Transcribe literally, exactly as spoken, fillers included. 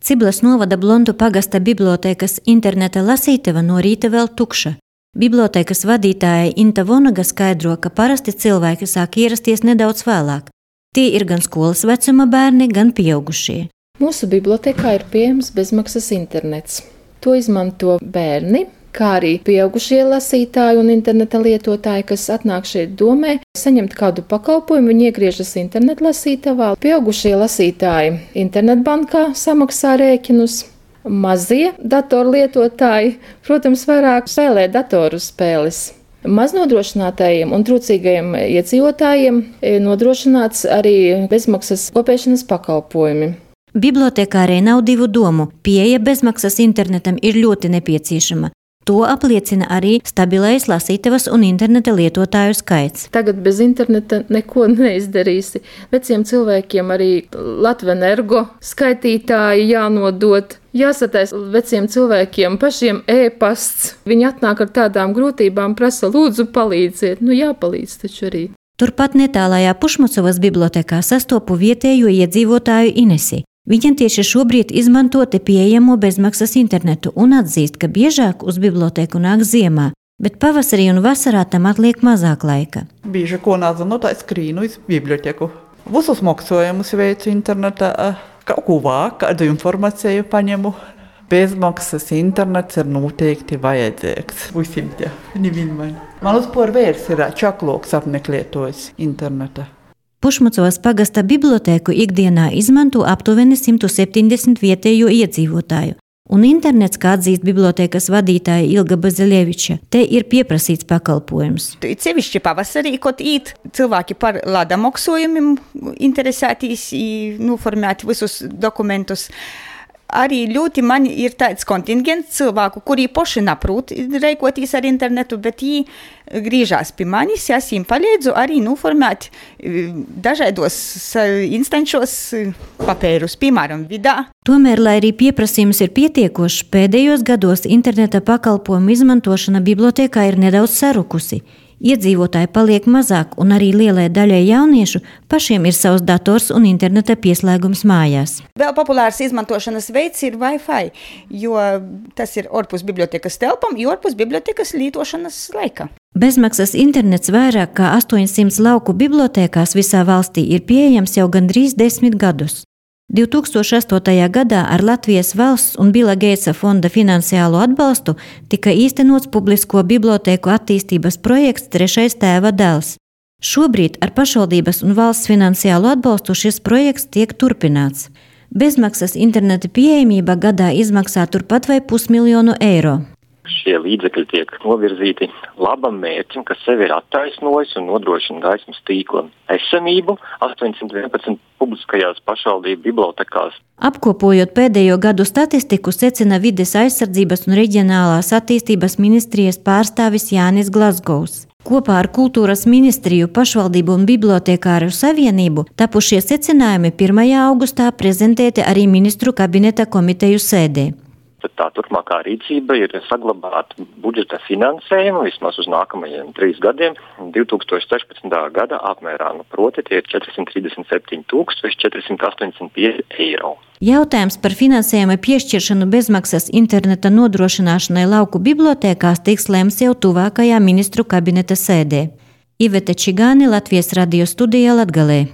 Ciblas novada Blontu pagasta bibliotēkas interneta lasītava no rīta vēl tukša. Bibliotēkas vadītāja Inta Vonaga skaidro, ka parasti cilvēki sāk ierasties nedaudz vēlāk. Tie ir gan skolas vecuma bērni, gan pieaugušie. Mūsu bibliotēkā ir pieejams bezmaksas internets. To izmanto bērni, kā arī pieaugušie lasītāji un interneta lietotāji, kas atnāk šeit domē, saņemt kādu pakalpojumu, viņi iegriežas internetu lasītavā. Pieaugušie lasītāji internetbankā samaksā rēķinus. Mazie datorlietotāji, protams, vairāk spēlē datoru spēles. Maznodrošinātajiem un trūcīgajiem iedzīvotājiem nodrošināts arī bezmaksas kopēšanas pakalpojumi. Bibliotekārei nav divu domu. Pieeja bezmaksas internetam ir ļoti nepieciešama. To apliecina arī stabilais lasītavas un interneta lietotāju skaits. Tagad bez interneta neko neizdarīsi. Veciem cilvēkiem arī Latvenergo skaitītāji jānodot. Jāsatais veciem cilvēkiem pašiem e-pasts. Viņi atnāk ar tādām grūtībām, prasa lūdzu palīdziet. Nu jāpalīdz taču arī. Turpat netālajā Pušmacovas bibliotekā sastopu vietējo iedzīvotāju Inesi. Viņa tieši šobrīd izmanto te pieejamo bezmaksas internetu un atzīst, ka biežāk uz bibliotēku nāk ziemā, bet pavasarī un vasarā tam atliek mazāk laika. Bieži ko nezinu, tā skrīnu uz biblioteku. Visus maksājumus veicu internetā, kaut ko vāk, kādu informāciju paņemu. Bezmaksas internets ir noteikti vajadzīgs. Visiem tie, nevienmēr. Man uzpār vērs ir čakloks apmeklētojis interneta. Pušmacovas pagasta bibliotēku ikdienā izmanto aptuveni simt septiņdesmit vietējo iedzīvotāju, un internets, kā atzīst bibliotēkas vadītāja Ilga Bazilieviča, te ir pieprasīts pakalpojums. Sevišķi pavasarī, kad īt cilvēki par lada maksājumiem interesētīs, noformēt visus dokumentus. Arī ļoti man ir tāds kontingents cilvēku, kuri poši naprūt reikotīs ar internetu, bet viņi grīžās pie manis, es viņiem palīdzu arī noformēt dažādos instančos papērus, piemēram, vidā. Tomēr, lai arī pieprasījums ir pietiekošs, pēdējos gados interneta pakalpojumu izmantošana bibliotēkā ir nedaudz sarukusi. Iedzīvotāji paliek mazāk, un arī lielai daļai jauniešu pašiem ir savs dators un interneta pieslēgums mājās. Vēl populārs izmantošanas veids ir Wi-Fi, jo tas ir ārpus bibliotekas telpām, jo ārpus bibliotekas lietošanas laika. Bezmaksas internets vairāk kā astoņsimt lauku bibliotēkās visā valstī ir pieejams jau gandrīz desmit gadus. divi tūkstoši astotajā gadā ar Latvijas valsts un Bila Geitsa fonda finansiālo atbalstu tika īstenots publisko bibliotēku attīstības projekts Trešais tēva dēls. Šobrīd ar pašvaldības un valsts finansiālo atbalstu šis projekts tiek turpināts. Bezmaksas interneta pieejamība gadā izmaksā turpat vai pusmiljonu eiro. Šie līdzekļi tiek novirzīti labam mērķim, kas sevi ir attaisnojis un nodrošina gaismas tīkla esamību astoņsimt vienpadsmit publiskajās pašvaldību bibliotekās. Apkopojot pēdējo gadu statistiku, secina Vides aizsardzības un reģionālās attīstības ministrijas pārstāvis Jānis Glazgovs. Kopā ar Kultūras ministriju, pašvaldību un bibliotekāru savienību tapušie secinājumi pirmajā augustā prezentēti arī ministru kabineta komiteju sēdē. Tā turpmākā rīcība ir saglabāt budžeta finansējumu vismaz uz nākamajiem trīs gadiem. divi tūkstoši sešpadsmitā gada apmērā, nu proti tie ir četri simti trīsdesmit septiņi tūkstoši četri simti astoņdesmit pieci eiro. Jautājums par finansējuma piešķiršanu bezmaksas interneta nodrošināšanai lauku bibliotēkās tiks lemts jau tuvākajā ministru kabineta sēdē. Iveta Čigāni, Latvijas radio studijā Latgalē.